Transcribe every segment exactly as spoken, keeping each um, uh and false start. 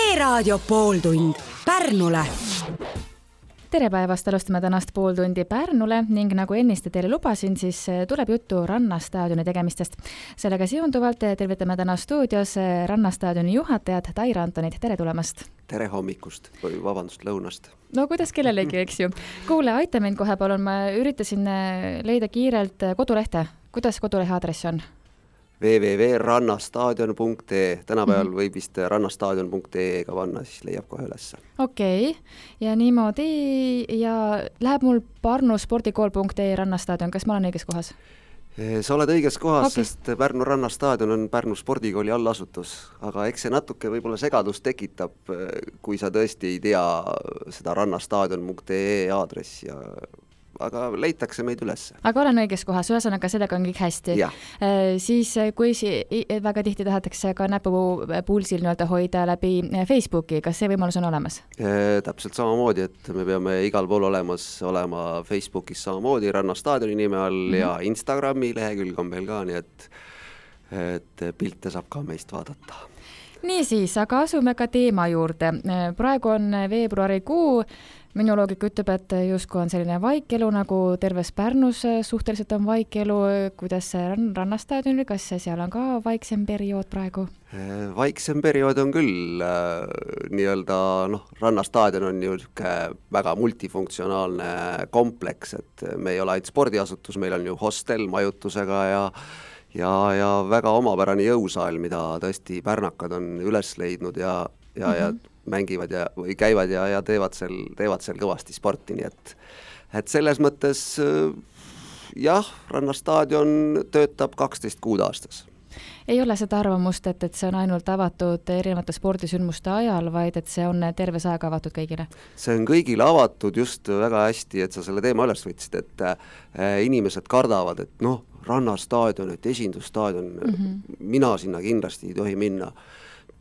E-raadio pooltund Pärnule. Tere päevast, alustame tänast pooltundi Pärnule ning nagu enniste teile lubasin, siis tuleb juttu Rannastaadioni tegemistest. Sellega seonduvalt tervitame täna stuudios Rannastaadioni juhatajad Taira Antonit. Tere tulemast! Tere hommikust või vabandust lõunast. No kuidas kellelegi, eks ju. Kuule, aita mind kohe palun, ma üritasin leida kiirelt kodulehte. Kuidas kodulehe aadress on? w w w punkt rannastaadion punkt e e. Tänapäeval võib vist rannastaadion punkt e e ka panna, siis leiab kohe ülesse. Okei, okay. Ja niimoodi ja läheb mul Pärnu spordikool punkt e e Rannastaadion. Kas ma olen õiges kohas? Sa oled õiges kohas, okay. Sest Pärnu Rannastaadion on Pärnu spordikooli allasutus, aga eks see natuke võib-olla segadust tekitab, kui sa tõesti ei tea seda rannastaadion punkt e e aadressi ja aga leitakse meid üles. Aga olen õiges kohas, ühesõnaga sellega on kõik hästi. E, siis kui si- väga tihti tahetakse ka näpu pulsil nii-öelda hoida läbi Facebooki, kas see võimalus on olemas? E, täpselt samamoodi, et me peame igal pool olemas olema Facebookis samamoodi Rannastaadioni nime all mm-hmm. ja Instagrami lehekülg on meil ka, nii et, et pilte saab ka meist vaadata. Nii siis, aga asume ka teema juurde. Praegu on veebruarikuu. Minu loogika ütleb, et justkui on selline vaikelu, nagu terves Pärnus suhteliselt on vaikelu. Kuidas see Rannastaadionil, kas seal on ka vaiksem periood praegu? Vaiksem periood on küll. Nii-öelda, noh, Rannastaadion on ju väga multifunktsionaalne kompleks, et me ei ole ainult spordiasutus, meil on ju hostel majutusega ja ja, ja väga omapärane jõusaal, mida tõesti pärnakad on üles leidnud ja, ja, mm-hmm. ja mängivad ja, või käivad ja, ja teevad, seal, teevad seal kõvasti sporti, nii et, et selles mõttes jah, Rannastaadion töötab kaksteist kuud aastas. Ei ole seda arvamust, et, et see on ainult avatud erinevate spordisündmuste ajal, vaid et see on terves aega avatud kõigile? See on kõigile avatud just väga hästi, et sa selle teema üles võtsid, et äh, inimesed kardavad, et noh, Rannastaadion, et esindusstaadion, mm-hmm. mina sinna kindlasti ei tohi minna.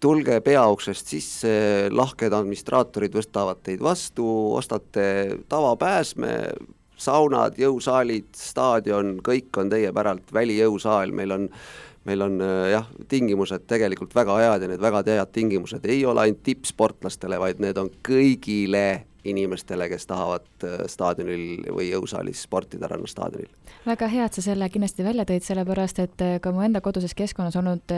Tulge peauksest sisse, lahked administraatorid võstavad teid vastu, ostate tavapääsme, saunad, jõusaalid, staadion, kõik on teie päralt, välijõusaal, meil on, meil on jah, tingimused tegelikult väga head ja need väga head tingimused ei ole ainult tippsportlastele, vaid need on kõigile inimestele, kes tahavad staadionil või jõusaalis sportida Rannastaadionil. Väga hea, et sa selle kindlasti välja tõid, sellepärast, et ka mu enda koduses keskkonnas olnud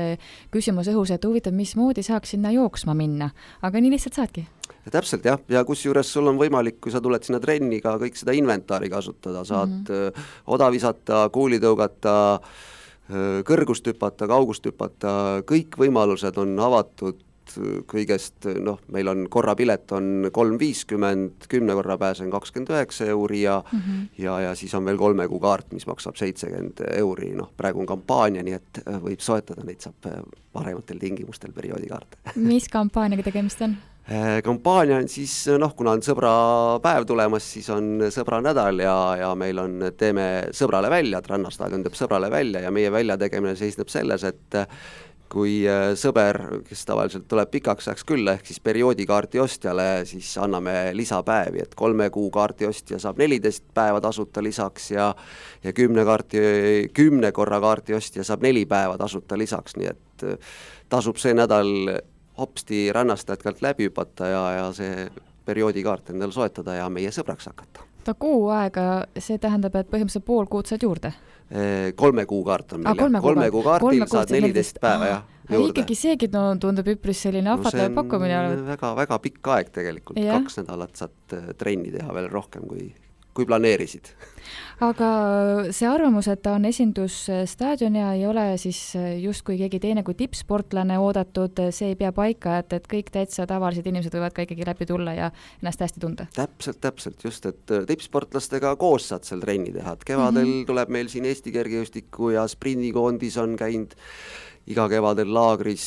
küsimus õhus, et huvitav, mismoodi saaks sinna jooksma minna, aga nii lihtsalt saadki. Ja täpselt jah, ja kus juures sul on võimalik, kui sa tuled sinna trenni ka kõik seda inventaari kasutada, saad mm-hmm. oda visata, kuuli tõugata, kõrgust hüpata, kaugust hüpata, kõik võimalused on avatud kõigest, noh, meil on korrapilet on kolm viiskümmend, kümne korra pääsen kakskümmend üheksa euri ja, mm-hmm. ja, ja siis on veel kolme kuu kaart, mis maksab seitsekümmend euri, noh, praegu on kampaania, nii et võib soetada, neid saab parematel tingimustel perioodikaarte. Mis kampaaniaga tegemist on? Kampaania on siis, noh, kuna on sõbrapäev tulemas, siis on sõbranädal ja, ja meil on, teeme sõbrale välja, et Rannastaadion teeb sõbrale välja ja meie väljategemine seisneb selles, et kui sõber, kes tavaliselt tuleb pikaks ajaks külla, ehk siis perioodikaarti ostjale, siis anname lisapäevi, et kolme kuu kaarti ostja saab neliteist päeva tasuta lisaks ja, ja kümne, kaarti, kümne korra kaarti ostja saab neli päeva tasuta lisaks, nii et tasub see nädal hopsti Rannastaadionilt läbi hüpata ja, ja see perioodikaart endale soetada ja meie sõbraks hakata. Ta kuu aega, see tähendab, et põhimõtteliselt pool kuud saad juurde? Kolme kuu kaart on meil. Kolme, kolme kuu kaartil kolme saad neliteist päeva jah, juurde. Ikkagi seegi tundub üpris selline ahvatlev no pakkumine. Väga, väga pikk aeg tegelikult. Ja. Kaks nädalat saad trenni teha veel rohkem kui, kui planeerisid. Aga see arvamus, et ta on esindusstaadion ja ei ole siis justkui keegi teine kui tippsportlane oodatud, see ei pea paika, et, et kõik täitsa tavalised inimesed võivad ka ikkagi läbi tulla ja ennast hästi tunda. Täpselt, täpselt, just, et tippsportlastega koos saad seal trenni teha. Kevadel mm-hmm. tuleb meil siin Eesti kergejõustiku ja sprindikoondis on käinud iga kevadel laagris,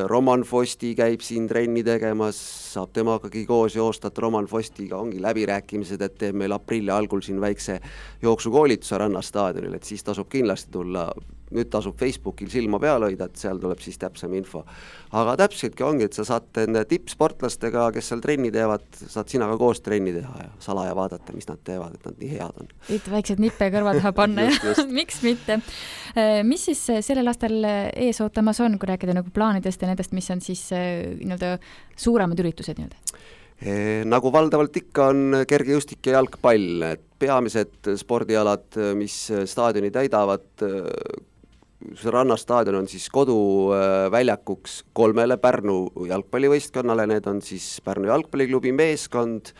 Roman Fosti käib siin trenni tegemas, saab temagagi koos joostat, Roman Fostiga ongi läbirääkimised, et teeb meil aprilli algul siin väikse jooksukoolituse Rannastaadionil, et siis tasub kindlasti tulla. nüüd tasub Facebookil silma peal hoida, et seal tuleb siis täpsem info. Aga täpseltki ongi, et sa saad enne tippsportlastega, kes seal trenni teevad, saad sina ka koos trenni teha ja salaja vaadata, mis nad teevad, et nad nii head on. Et väiksed nippe kõrva taha panna just, just. Miks mitte? Mis siis sellel aastal ees ootamas on, kui rääkida nagu plaanidest ja nendest, mis on siis nii-öelda suuremad üritused nii-öelda? E, nagu valdavalt ikka on kergejõustik ja jalgpall, et peamised spordialad, mis staadioni täidavad, rannastaadion on siis koduväljakuks kolmele Pärnu jalgpallivõistkonnale, need on siis Pärnu jalgpalliklubi meeskond,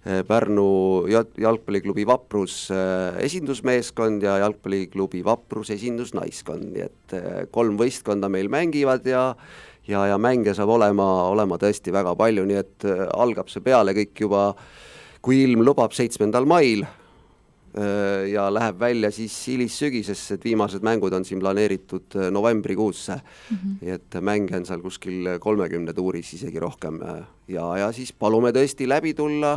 Pärnu jalgpalliklubi Vaprus esindusmeeskond ja jalgpalliklubi Vaprus esindusnaiskond, nii et kolm võistkonda meil mängivad ja ja, ja mänge saab olema, olema tõesti väga palju, nii et algab see peale kõik juba, kui ilm lubab seitsmendal mail ja läheb välja siis hilissügisesse, et viimased mängud on siin planeeritud novembrikuusse, mm-hmm. nii et mänge on seal kuskil kolmekümne tuuris isegi rohkem ja, ja siis palume tõesti läbi tulla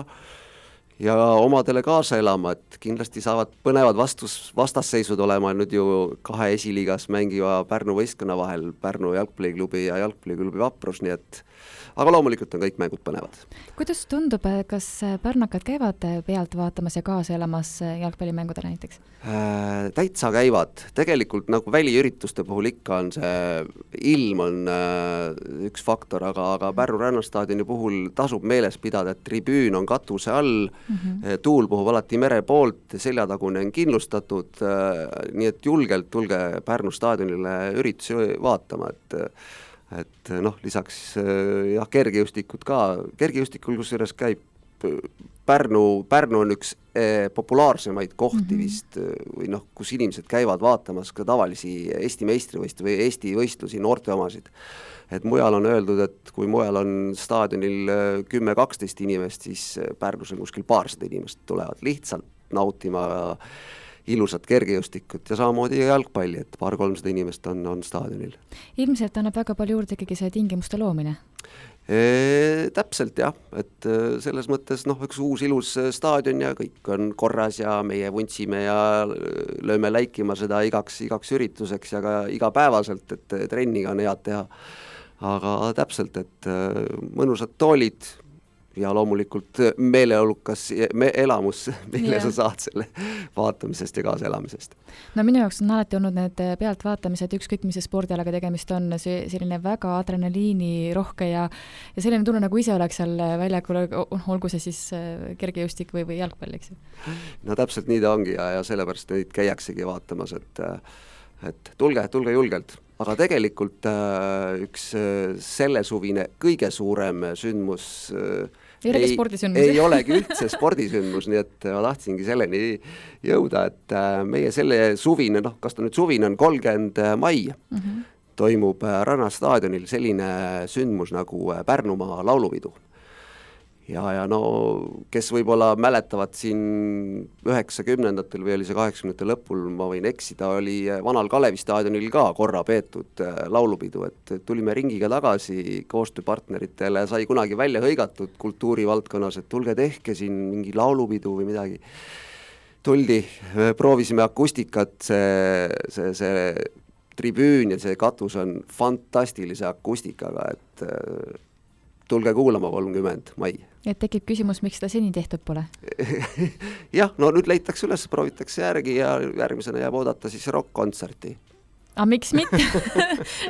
ja omadele kaasa elama, et kindlasti saavad põnevad vastus, vastasseisud olema nüüd ju kahe esiliigas mängiva Pärnu võistkonna vahel, Pärnu jalgpalliklubi ja jalgpalliklubi Vaprus, nii et aga loomulikult on kõik mängud põnevad. Kuidas tundub, kas pärnakad käivad pealt vaatamas ja kaasa elamas jalgpallimängudele näiteks? Äh, täitsa käivad. Tegelikult nagu väliürituste puhul ikka on see ilm on äh, üks faktor, aga, aga Pärnu rannastaadioni puhul tasub meeles pidada, et tribüün on katuse all, mm-hmm. tuul puhub alati mere poolt, seljatagune on kindlustatud, äh, nii et julgelt tulge Pärnu staadionile üritusi vaatama, et et noh, lisaks jah, kergejõustikud ka, kergejõustikul kusjuures käib Pärnu, Pärnu on üks eh, populaarsemaid kohti mm-hmm. vist või noh, kus inimesed käivad vaatamas ka tavalisi Eesti meistrivõistlusi või Eesti võistlusi, noorte omasid. Et mujal on öeldud, et kui mujal on staadionil kümme kaksteist inimest, siis Pärnus on kuskil paarsada inimest tulevad lihtsalt nautima ilusat kergejõustikut ja samamoodi jalgpalli, et paar-kolmsada inimest on, on staadionil. Ilmselt annab väga palju juurde ikkagi see tingimuste loomine? E, täpselt jah, et selles mõttes noh, üks uus ilus staadion ja kõik on korras ja meie vuntsime ja lööme läikima seda igaks, igaks ürituseks ja ka igapäevaselt, et trenniga on head teha. Aga täpselt, et mõnusad toolid ja loomulikult meeleolukas me elamus, mille yeah. sa saad selle vaatamisest ja kaasaelamisest. No minu jaoks on alati olnud need pealtvaatamised, ükskõik mis see spordialaga tegemist on, see selline väga adrenaliini rohke ja, ja selline tunne, nagu ise oleks seal väljakul, olgu see siis kergejõustik või, või jalgpall, eks ju? No täpselt nii ta ongi ja, ja sellepärast neid käiaksegi vaatamas, et, et tulge, tulge julgelt. Aga tegelikult üks selle suvine kõige suurem sündmus ei, ei, ei olegi üldse spordisündmus, nii et ma tahtsingi selleni jõuda, et meie selle suvine, noh, kas ta nüüd suvine on kolmkümmend mai, mm-hmm. toimub rannastaadionil selline sündmus nagu Pärnumaa laulupidu. Ja, ja no kes võib-olla mäletavad siin üheksakümnendatel või oli see kaheksakümnendatel lõpul, ma võin eksida, oli Vanal Kalevi staadionil ka korra peetud laulupidu, et tulime ringiga tagasi koostööpartneritele, sai kunagi välja hõigatud kultuurivaldkonnas, et tulge tehke siin mingi laulupidu või midagi. Tuldi, proovisime akustikat, see, see, see tribüün ja see katus on fantastilise akustikaga, et tulge kuulama kolmkümmend mai. Et tekib küsimus, miks seda seni tehtud pole? jah, no nüüd leitakse üles, proovitakse järgi ja järgmisena jääb oodata siis rock-kontserti. Aga miks mitte?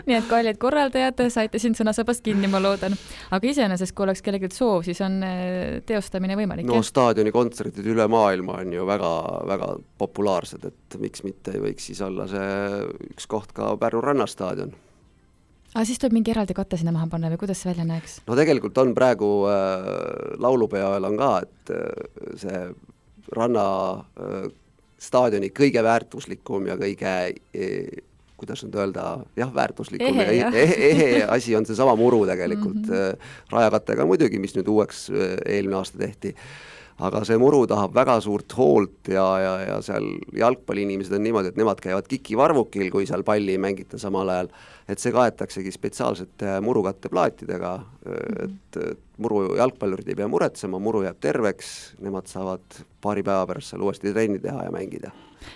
Nii et kallid korraldajad, saite siin sõnasabast kinni, ma loodan. Aga iseenesest, kui oleks kellelgi soov, siis on teostamine võimalik. No staadioni kontserdid üle maailma on ju väga, väga populaarsed, et miks mitte võiks siis olla see üks koht ka Pärnu rannastaadion. Aga siis tuleb mingi eraldi katte sinna maha panna või kuidas see välja näeks? No tegelikult on praegu äh, laulupeal on ka, et äh, see ranna äh, staadioni kõige väärtuslikum ja kõige, äh, kuidas nüüd öelda, jah, väärtuslikum ehe, ja ehe, ehe asi on see sama muru tegelikult mm -hmm. äh, rajakattega muidugi, mis nüüd uueks äh, eelmine aasta tehti. aga see muru tahab väga suurt hoolt ja, ja, ja seal jalgpalliinimesed on niimoodi, et nemad käivad kikivarvukil, kui seal palli ei mängita samal ajal, et see kaetaksegi spetsiaalsete murukatteplaatidega, et muru jalgpallurid ei pea muretsema, muru jääb terveks, nemad saavad paari päeva pärast seal uuesti trenni teha ja mängida.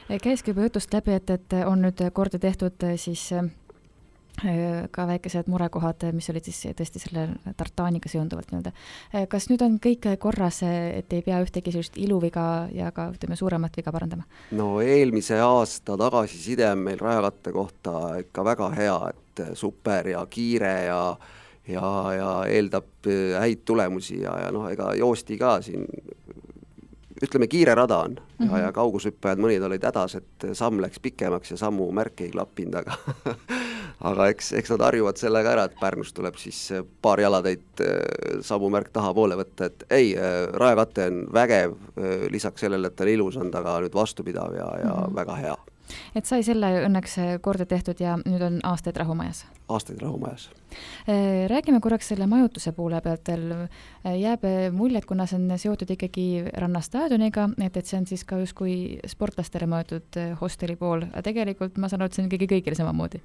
Käiski juba jutust läbi, et, et on nüüd korda tehtud siis ka väikesed murekohad, mis olid siis tõesti selle tartaaniga seonduvalt nii-öelda. Kas nüüd on kõik korras, et ei pea ühtegi sellist iluviga ja ka ütleme, suuremat viga parandama? No eelmise aasta tagasiside on meil rajakatte kohta ikka väga hea, et super ja kiire ja, ja, ja eeldab häid tulemusi ja, ja noh, ega joosti ka siin ütleme, kiire rada on ja, mm-hmm. ja kaugusüppajad mõnid olid hädas, et samm läks pikemaks ja sammu märke ei klappinud, aga aga eks, eks nad harjuvad sellega ära, et Pärnus tuleb siis paar jalatäit sammu märk taha poole võtta, et ei, rajakatte on vägev, lisaks sellele, et ta on ilus, on ta ka nüüd vastupidav ja, ja mm-hmm. väga hea. Et sai selle õnneks korda tehtud ja nüüd on aastaid rahumajas? Aastaid rahumajas. Räägime korraks selle majutuse poole pealt. Jääb mulje, et kuna see on seotud ikkagi rannastaadioniga, et, et see on siis ka justkui sportlastele mõeldud hosteli pool. Tegelikult ma saan aru, et see on ikkagi kõigile samamoodi.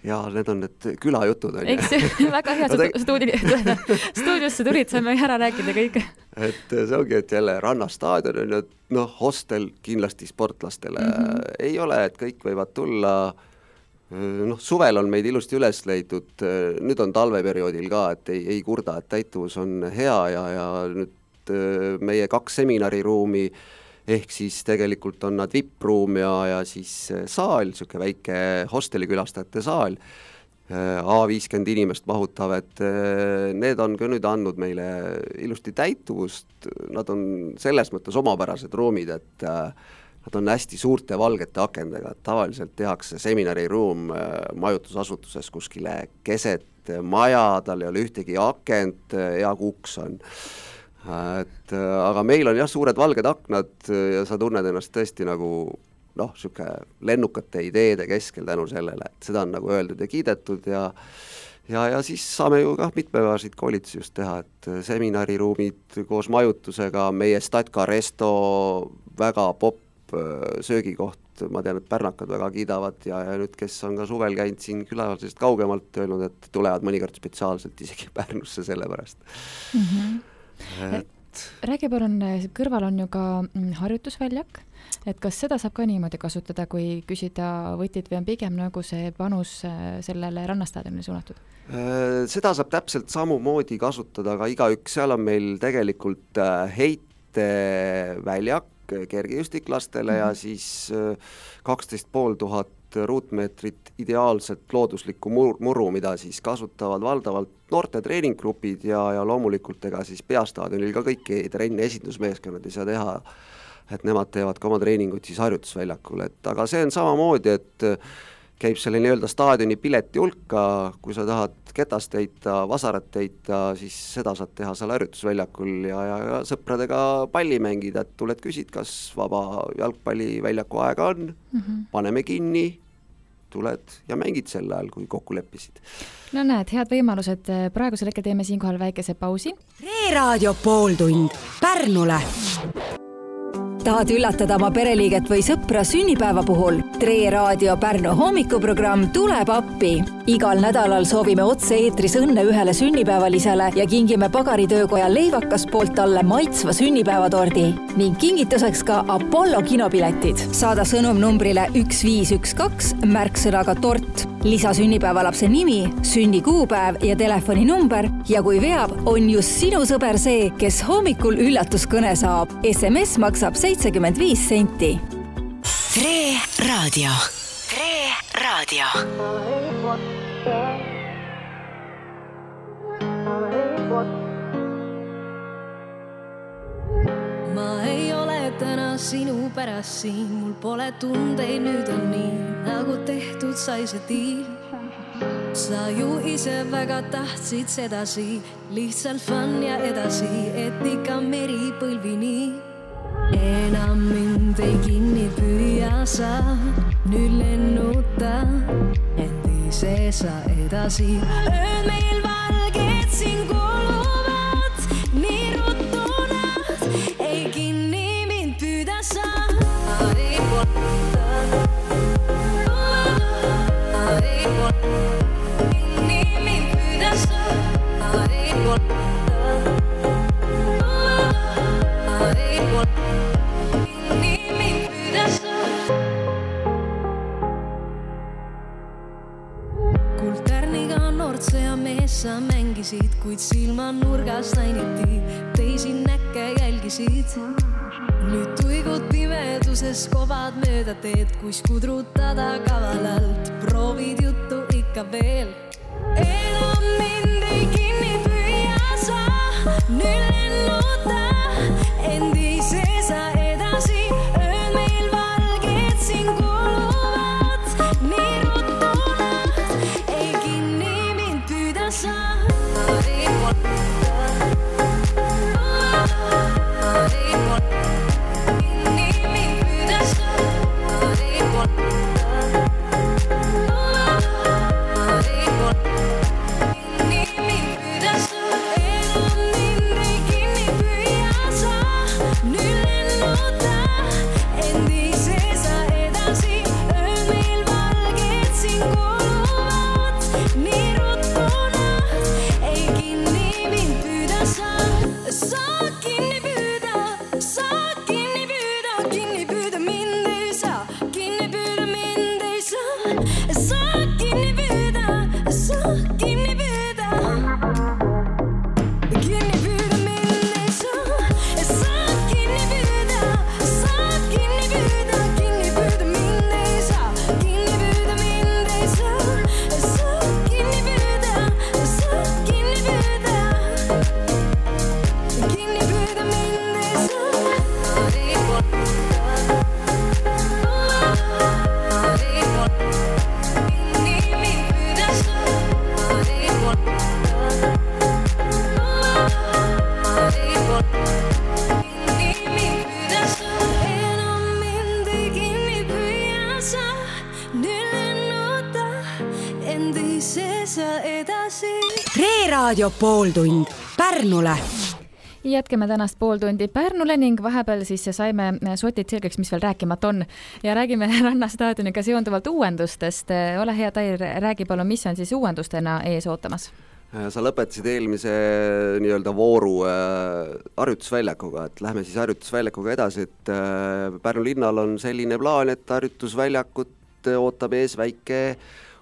Ja need on need külajutud. On Eks väga hea, et stuudi, stuudiosse tulid, saime ära rääkida kõik. Et see ongi, et jälle rannastaadion on ju, noh, hostel kindlasti sportlastele mm-hmm. ei ole, et kõik võivad tulla. Noh, suvel on meid ilusti üles leidnud, nüüd on talveperioodil ka, et ei, ei kurda, et täituvus on hea ja, ja nüüd meie kaks seminariruumi ehk siis tegelikult on nad V I P-ruum ja, ja siis saal, niisugune väike hostelikülastajate saal, A viiskümmend inimest mahutav, et need on ka nüüd andnud meile ilusti täituvust, nad on selles mõttes omapärased ruumid, et nad on hästi suurte valgete akendega, et tavaliselt tehakse seminariruum majutusasutuses kuskile keset maja, tal ei ole ühtegi akent, hea kuks on. Et, aga meil on jah suured valged aknad ja sa tunned ennast tõesti nagu noh, siuke lennukate ideede keskel tänu sellele, et seda on nagu öeldud ja kiidetud ja ja, ja siis saame ju ka mitmepäevasid koolitusi just teha, et seminariruumid koos majutusega, meie Statka Resto väga popp söögikoht, ma tean, et pärnakad väga kiidavad ja, ja nüüd, kes on ka suvel käinud siin külasest kaugemalt öelnud, et tulevad mõnikord spetsiaalselt isegi Pärnusse selle pärast. Mm-hmm. Et... Räägi palun, kõrval on ju ka harjutusväljak, et kas seda saab ka niimoodi kasutada, kui küsida võtid või on pigem nagu see panus sellele rannastaadionile suunatud? Seda saab täpselt samumoodi kasutada, aga igaüks, seal on meil tegelikult heiteväljak kergejõustiklastele mm-hmm. ja siis kaksteist pool tuhat ruutmeetrit ideaalset looduslikku muru, mida siis kasutavad valdavalt noorte treeninggrupid ja, ja loomulikult ega siis peastaadionil ka kõiki trenni esindusmeeskonnad ei saa teha, et nemad teevad ka oma treeningut siis harjutusväljakul, et aga see on samamoodi, et käib selle nii-öelda staadioni pileti hulka, kui sa tahad ketast heita, vasarat heita, siis seda saad teha seal harjutusväljakul ja, ja, ja sõpradega palli mängida, et tuled küsid, kas vaba jalgpalliväljaku aega on, mm-hmm. paneme kinni, tuled ja mängid sel ajal, kui kokku leppisid. No näed, head võimalused, praegusel hetkel teeme siinkohal väikese pausi. Reeraadio pooltund Pärnule. Tahad üllatada oma pereliiget või sõpra sünnipäeva puhul? Tre Raadio Pärnu hommikuprogramm tuleb appi. Igal nädalal soovime otse eetris õnne ühele sünnipäevalisele ja kingime Pagaritöökoja leivakas poolt talle maitsva sünnipäevatordi ning kingituseks ka Apollo kinopiletid. Saada sõnum numbrile üks viis üks kaks märksõnaga tort. Lisa sünnipäevalapse nimi, sünnikuupäev ja telefoninumber ja kui veab, on just sinu sõber see, kes hommikul üllatuskõne saab. S M S maksab seitsekümmend viis senti. Tre Raadio. Tre Raadio. Ma ei ole täna sinu pärast siin, mul pole tundeid, nüüd on nii, nagu tehtud sai see diil. Sa ju ise väga tahtsid sedasi, lihtsalt fun ja edasi, et ikka meri põlvini. Enam mind ei kinni püüa sa, nüüd lennuta, end ise sa edasi. Ööd meil valged siin kuluvad, nii ruttu nad ei kinni. Sa mängisid, kuid silma nurgast ainiti teisi näkke jälgisid. Nüüd tuigud pimeduses kovad mööda teed, kuis kudrutada kavalalt. Proovid juttu ikka veel. Enam mind ei kinni püüa sa, nüüd lennuta endise sa edasi. Ööd meil valged siin kuluvad, nii rutunad ei kinni mind püüda sa. Raadio pooltund Pärnule. Jätkame tänast pooltundi Pärnule ning vahepeal siis saime sotid selgeks, mis veel rääkimata on. Ja räägime rannastaadioniga seonduvalt uuendustest. Ole hea, Tair, räägi palun, mis on siis uuendustena ees ootamas? Sa lõpetasid eelmise nii-öelda vooru äh, harjutusväljakuga, et lähme siis harjutusväljakuga edasi, et äh, Pärnu linnal on selline plaan, et harjutusväljakut ootab ees väike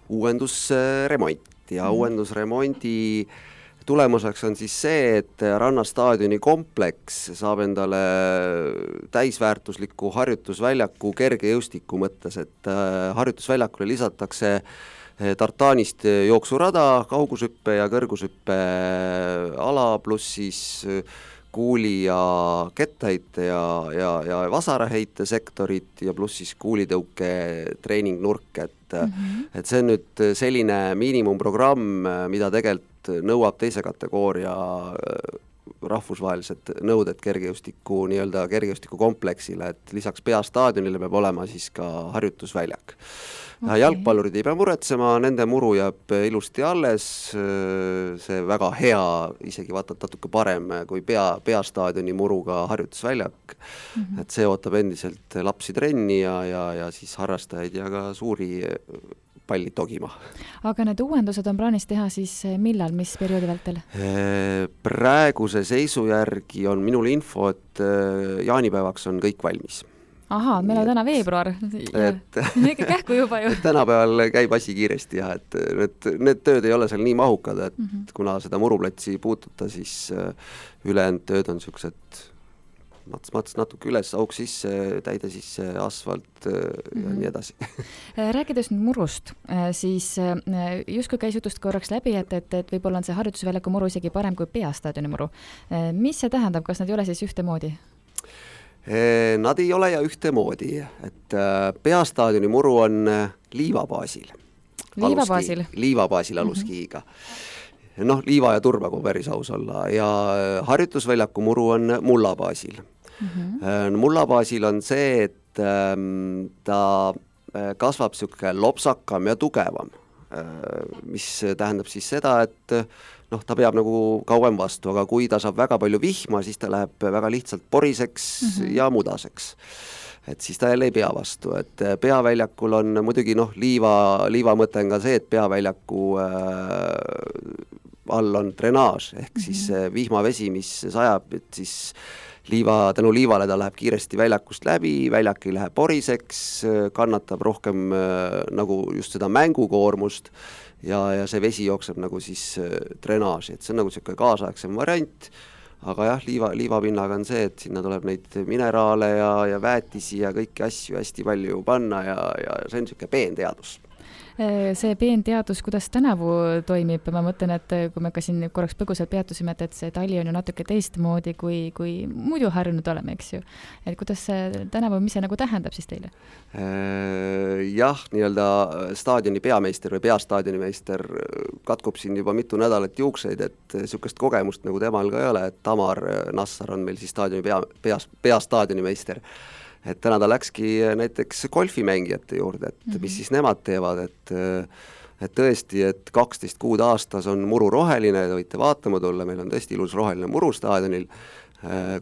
uuendusremont. Ja mm. uuendusremondi tulemuseks on siis see, et rannastaadioni kompleks saab endale täisväärtusliku harjutusväljaku kergejõustiku mõttes, et harjutusväljakule lisatakse tartaanist jooksurada, kaugusüppe ja kõrgusüppe ala, pluss siis kuuli ja kettaheite ja, ja, ja vasaraheite sektorit ja pluss siis kuulitõuke treeningnurk, et Mm-hmm. et see on nüüd selline miinimumprogramm, mida tegelikult nõuab teise kategooria rahvusvahelised nõuded kergejõustiku, nii-öelda kergejõustiku kompleksile, et lisaks peastaadionile peab olema siis ka harjutusväljak. Okay. Jalgpallurid ei pea muretsema, nende muru jääb ilusti alles, see väga hea, isegi vaatad natuke parem kui pea, peastaadioni muruga harjutusväljak, mm-hmm. et see ootab endiselt lapsi trenni ja, ja, ja siis harrastajaid ja ka suuri pallid togima. Aga need uuendused on plaanis teha siis millal, mis perioodi vältel? Praeguse seisu järgi on minul info, et jaanipäevaks on kõik valmis. Ahaa, meil on täna veebruar, ikka kähku juba ju. Tänapäeval käib asi kiiresti ja et need, need tööd ei ole seal nii mahukad, et mm-hmm. kuna seda muruplatsi puututa, siis ülejäänud tööd on niisugused mats-mats natuke üles, auk sisse, täide sisse, asfalt ja mm-hmm. nii edasi. Rääkides nüüd murust, siis justkui käis jutust korraks läbi, et, et, et võib-olla on see harjutusväljaku muru isegi parem kui peastaadioni muru. Mis see tähendab, kas nad ei ole siis ühtemoodi? Nad ei ole ja ühtemoodi, et peastaadioni muru on liivabaasil. Liivabaasil? Liivabaasil aluskiiga. Mm-hmm. Noh, liiva ja turba, kui päris aus olla. Ja harjutusväljaku muru on mullabaasil. Mm-hmm. Mullabaasil on see, et ta kasvab niisugune lopsakam ja tugevam, mis tähendab siis seda, et noh, ta peab nagu kauem vastu, aga kui ta saab väga palju vihma, siis ta läheb väga lihtsalt poriseks mm-hmm. ja mudaseks. Et siis ta jälle ei pea vastu, et peaväljakul on muidugi noh, liiva, liiva mõte on ka see, et peaväljaku äh, all on drenaaž ehk mm-hmm. siis vihmavesi, mis sajab, et siis liiva, tänu liivale ta läheb kiiresti väljakust läbi, väljak ei lähe poriseks, kannatab rohkem äh, nagu just seda mängukoormust ja, ja see vesi jookseb nagu siis äh, drenaaži, et see on nagu selline kaasaegsem variant, aga jah, liiva, liivapinnaga on see, et sinna tuleb neid mineraale ja, ja väetisi ja kõiki asju hästi palju panna ja, ja see on selline peenteadus. See peenteadus, kuidas tänavu toimib, ma mõtlen, et kui me ka siin korraks põgusalt peatusime, et, et see tali on ju natuke teistmoodi, kui, kui muidu harjunud oleme, eks ju. Et kuidas see tänavu, mis see nagu tähendab siis teile? Jah, nii-öelda staadioni peameister või peastaadionimeister katkub siin juba mitu nädalat juukseid, et niisugust kogemust nagu temal ka ei ole, et Tamar Nassar on meil siis staadioni pea, pea, peastaadionimeister. Et täna ta läkski näiteks golfimängijate juurde, et mm-hmm. mis siis nemad teevad, et, et tõesti, et kaksteist kuud aastas on muru roheline, te võite vaatama tulla, meil on tõesti ilus roheline muru staadionil,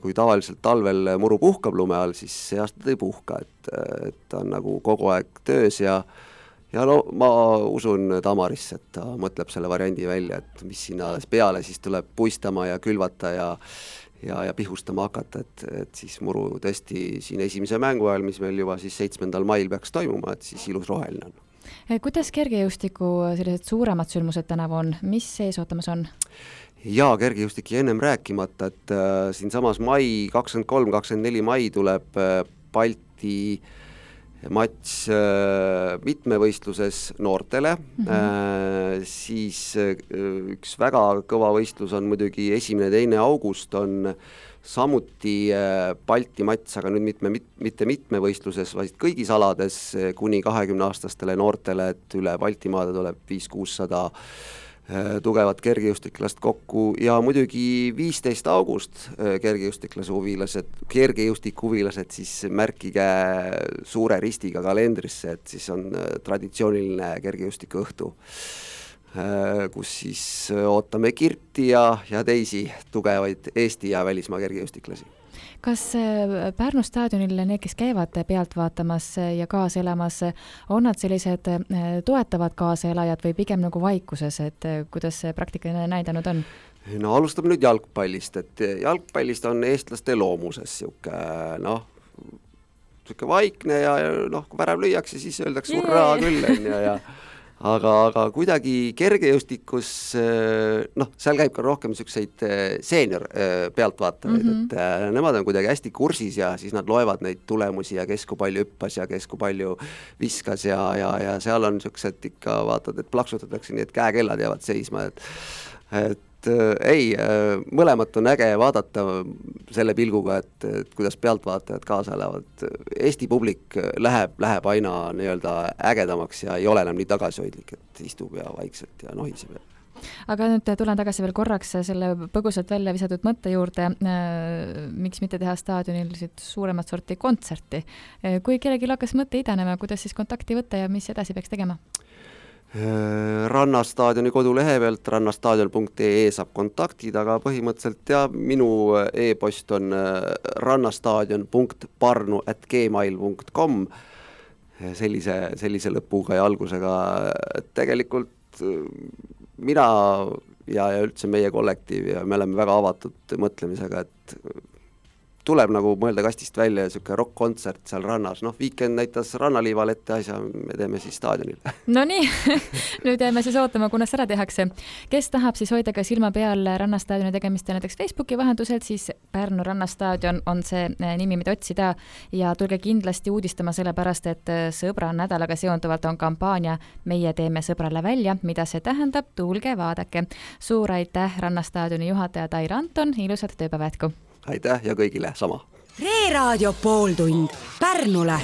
kui tavaliselt talvel muru puhkab lume all, siis see aasta ta ei puhka, et, et ta on nagu kogu aeg töös ja ja no ma usun Tamarisse, et ta mõtleb selle variandi välja, et mis sinna peale siis tuleb puistama ja külvata ja ja, ja pihustama hakata, et, et siis muru tõesti siin esimese mängu ajal, mis meil juba siis seitsmendal mail peaks toimuma, et siis ilus roheline on. Kuidas kergejõustiku sellised suuremad sündmused tänavu on? Mis sees ootamas on? Jaa, kergejõustik ja ennem rääkimata, et äh, siin samas mai kakskümmend kolm kakskümmend neli mai tuleb äh, Balti matš äh, mitmevõistluses noortele, mm-hmm. äh, siis äh, üks väga kõva võistlus on muidugi esimene, teine august on samuti äh, Balti matš, aga nüüd mitme, mit, mitte mitmevõistluses, vaid kõigis alades äh, kuni kahekümne aastastele noortele, et üle Baltimaade tuleb viis kuussada äh, tugevat kergejõustiklast kokku ja muidugi viisteist august äh, kergejõustiklase huvilased, kergejõustiku huvilased siis märkige suure ristiga kalendrisse, et siis on äh, traditsiooniline kergejõustiku õhtu, äh, kus siis äh, ootame Kirti ja, ja teisi tugevaid Eesti ja välismaa kergejõustiklasi. Kas Pärnu staadionil need, kes käivad pealt vaatamas ja kaasa elamas, on nad sellised toetavad kaasaelajad või pigem nagu vaikuses, et kuidas see praktikaline näidanud on? No alustame nüüd jalgpallist, et jalgpallist on eestlaste loomuses siuke, noh, siuke vaikne ja noh, kui värav lüüakse, siis öeldakse hurraa küll, ja, ja aga, aga kuidagi kergejõustikus, noh, seal käib ka rohkem niisuguseid seenior pealtvaatajaid, mm-hmm. et nemad on kuidagi hästi kursis ja siis nad loevad neid tulemusi ja kes kui palju hüppas ja kes kui palju viskas ja, ja, ja seal on niisugused ikka, vaatad, et plaksutatakse nii, et käekellad jäävad seisma, et, et ei, mõlemat on äge vaadata selle pilguga, et, et kuidas pealtvaatajad kaasa elavad. Eesti publik läheb, läheb aina nii-öelda ägedamaks ja ei ole enam nii tagasihoidlik, et istub ja vaikselt ja nohiseb. Aga nüüd tulen tagasi veel korraks selle põgusalt välja visatud mõtte juurde, miks mitte teha staadionil suuremat sorti kontserti. Kui kellelgi hakkas mõte idanema, kuidas siis kontakti võtta ja mis edasi peaks tegema? Rannastaadioni kodulehe pealt rannastaadion punkt ee saab kontaktid, aga põhimõtteliselt ja minu e-post on rannastaadion punkt parnu at gmail punkt com sellise, sellise lõpuga ja algusega. Tegelikult mina ja, ja üldse meie kollektiiv ja me oleme väga avatud mõtlemisega, et tuleb nagu mõelda kastist välja ja siuke rock-kontsert seal rannas. Noh, Weekend näitas rannaliival ette asja, me teeme siis staadionil. No nii, nüüd jääme siis ootama, kuna seda tehakse. Kes tahab siis hoida ka silma peal rannastaadioni tegemist ja näiteks Facebooki vahenduselt, siis Pärnu rannastaadion on see nimi, mida otsida ja tulge kindlasti uudistama selle pärast, et sõbra nädalaga seonduvalt on kampaania Meie teeme sõbrale välja, mida see tähendab, tulge vaadake. Suur aitäh rannastaadioni juhataja Tair Anton, ilusat tööpäeva jätku! Aitäh ja kõigile sama. Reeraadio pooltund Pärnule.